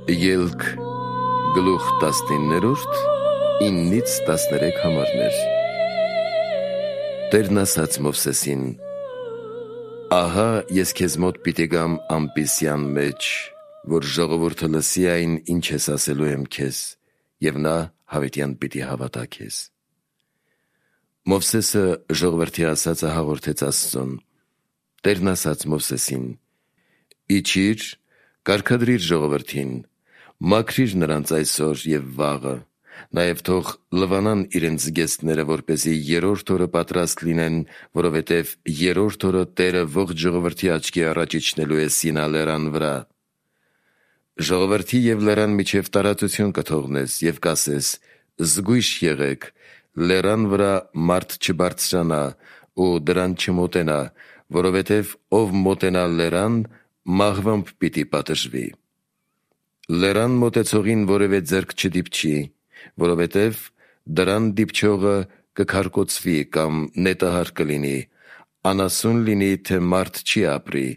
Ելք գլուխ 19-րդ 9-ից 13 համարներ։ Տերն ասաց Մովսեսին. «Ահա ես քեզ մոտ պիտի գամ ամպիսյան մեջ, որ ժողովուրդը լսի այն, ինչ ես ասելու եմ քեզ, և նա հավիտյան պիտի հավատա քեզ»։ Մովսեսը ժողովրդի ասածը հաղորդեց Աստծուն։ Տերն ասաց Մովսեսին. «Իջիր, կարգադրիր ժողովրդին, մաքրիր նրանց այսօր և վաղը, նաև թող լվանան իրենց զգեստները, որպեսզի երրորդ օրը պատրաստ լինեն, որովհետև երրորդ օրը Տերը ողջ ժողովրդի աչքի առաջ իջնելու է Սինա լեռան վրա։ Ժողովրդի և լեռան միջև տարածություն կթողնես և կասես. զգույշ եղեք, լեռան վրա մարդ չբարձրանա ու դրան չմոտենա, որովհետև ով մոտենա լեռան, մահվամբ պիտի պատժվի։ Լեռան մոտեցողին որևէ ձեռք չդիպչի, որովհետև դրան դիպչողը կքարկոծվի կամ նետահար կլինի, անասուն լինի, թե մարդ չի ապրի։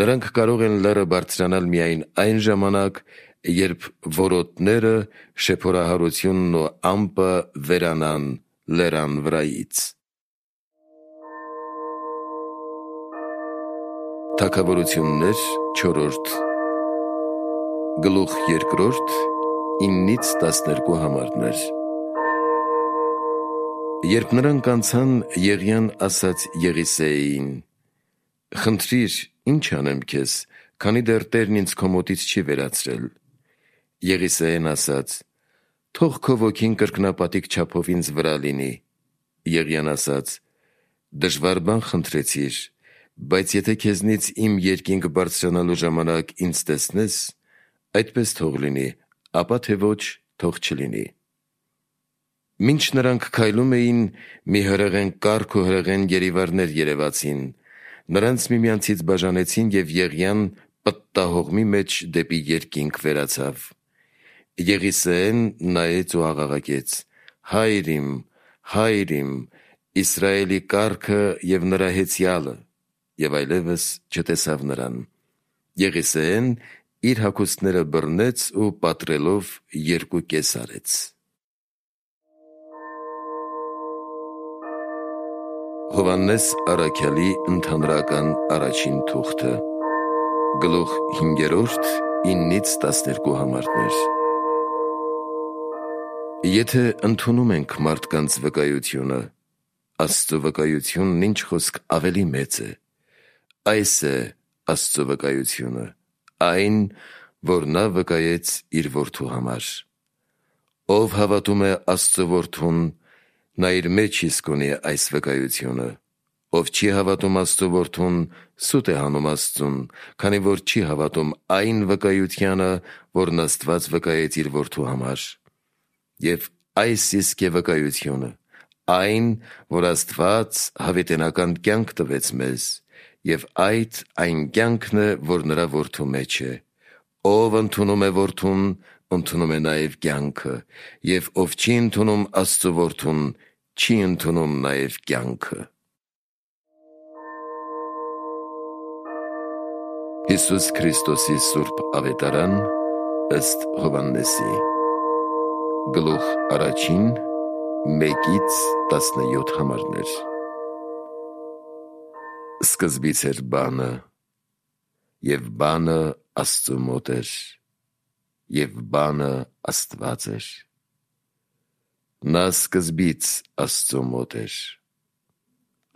Նրանք կարող են լեռը բարձրանալ միայն այն ժամանակ, երբ որոտները, շեփորահարությունն ու ամպը վերանան լեռան վրայից»։ Թագավորություններ 4 գլուխ 2 9-ից 12 համարներ։ Երբ նրանք անցան, Եղիան ասաց Եղիսեին. «Խնդրիր, ինչ անեմ քեզ, քանի դեռ Տերն ինձ քո մոտից չի վերացրել»։ Եղիսեին ասաց. «Թող քո ոգին կրկնապատիկ չափով ինձ վրա լինի»։ Եղիան ասաց. «Դժվար բան խնդրեցիր, բայց եթե քեզնից իմ երկինք բարձրանալու ժամանակ ինձ տեսնես, այդպես թող լինի, ապա թե ոչ, թող չլինի»։ Մինչ նրանք քայլում էին, մի հրեղեն կառք ու հրեղեն գերիվարներ երևացին, նրանց միմյանցից բաժանեցին, և Եղիան պտտահողմի մեջ դեպի երկինք վերացավ։ Եղիսեեն նայեց ու աղաղակեց. «Հայր իմ, Հայր իմ, Իսրայելի կառքը և նրա հեծյալը», և այլևս չտեսավ նրան։ Եղիսեեն իր հագուստները բռնեց ու պատռելով երկու կես արեց։ Հովհաննես առաքյալի ընդհանրական առաջին թուղթը, գլուխ 5 9-ից 12 համարներ։ Եթե ընդունում ենք մարդկանց վկայությունը, Աստծո վկայությունն ինչ խոսք ավելի մեծ է։ Այս է Աստծո վկայությունը, այն, որ նա վկայեց իր որդու համար։ Ով հավատում է Աստծո որդուն, նա իր մեջ իսկ ունի այս վկայությունը։ Ով չի հավատում Աստծո որդուն, սուտ է հանում Աստծուն, քանի որ չի հավատում այն վկայությանը, որն Աստված վկայեց իր որդու համար։ Եվ այս իսկ է վկայությունը, այն, որ Աստված հավիտենական կյանք տվեց մեզ, և այդ այն կյանքն է, որ նրա որդու մեջ է։ Ով ընդունում է որդուն, ընդունում է նաև կյանքը, և ով չի ընդունում Աստծո որդուն, չի ընդունում նաև կյանքը։ Հիսուս Քրիստոսի սուրբ ավետարան ըստ Հովհաննեսի, գլուխ 1 1-ից 17 համարներ։ Սկզբից էր բանը, և բանը Աստծու մոտ էր, և բանը Աստված էր։ Նա սկզբից Աստծու մոտ էր։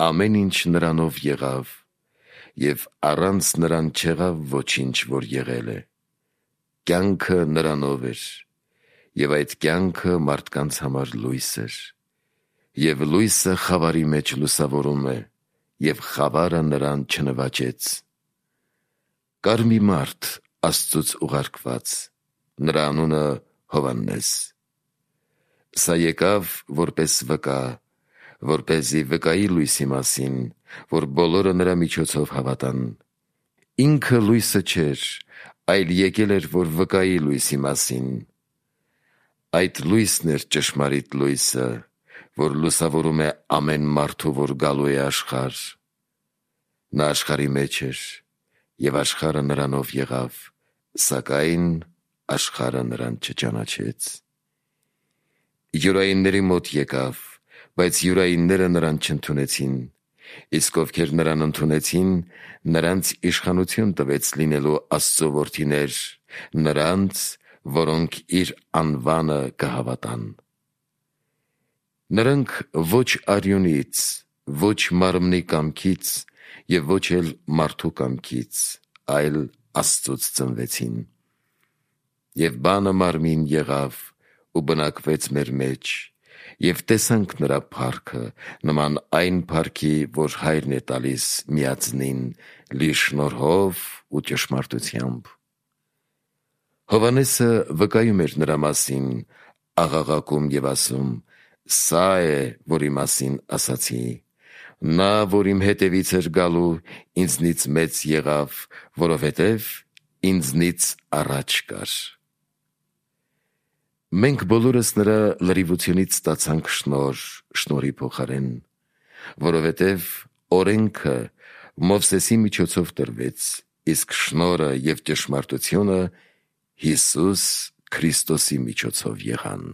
Ամեն ինչ նրանով եղավ, և առանց նրան չեղավ ոչինչ, որ եղել է։ Կյանքը նրանով էր, և այդ կյանքը մարդկանց համար լույս էր, և լույսը խավարի մեջ լուսավորում է, և խավարը նրան չնվաճեց։ Կար մի մարդ Աստծուց ուղարկված, նրա անունը Հովհաննես։ Սա եկավ որպես վկա, որպեսզի վկայի լույսի մասին, որ բոլորը նրա միջոցով հավատան։ Ինքը լույսը չէր, այլ եկել էր, որ վկայի լույսի մասին։ Այդ լույսն էր ճշմարիտ լույսը, որ լուսավորում է ամեն մարդու, որ գալու է աշխարհ։ Նա աշխարհի մեջ էր, և աշխարհը նրանով եղավ, սակայն աշխարհը նրան չճանաչեց։ Յուրայինների մոտ եկավ, բայց յուրայինները նրան չընդունեցին, իսկ ովքեր նրան ընդունեցին, նրանց իշխանություն տվեց լինելու Աստծո որդիներ, նրանց, որոնք իր անվանը կհավատան։ Նրանք ոչ արյունից, ոչ մարմնի կամքից և ոչ էլ մարդու կամքից, այլ Աստծուց ծնվեցին։ Եվ բանը մարմին եղավ ու բնակվեց մեր մեջ, և տեսանք նրա փառքը, նման այն փառքի, որ Հայրն է տալիս միածնին, լի շնորհով ու ճշմարտությամբ։ Հովհաննեսը վկայում էր նրա մասին, աղաղակում և ասում. «Սա է, որի մասին ասացի. նա, որ իմ հետևից էր գալու, ինձնից մեծ եղավ, որովհետև ինձնից առաջ կար»։ Մենք բոլորս նրա լրիվությունից ստացանք շնորհ շնորհի փոխարեն, որովհետև օրենքը Մովսեսի միջոցով տրվեց, իսկ շնորհը և ճշմարտությունը Հիսուս Քրիստոսի միջոցով եղան։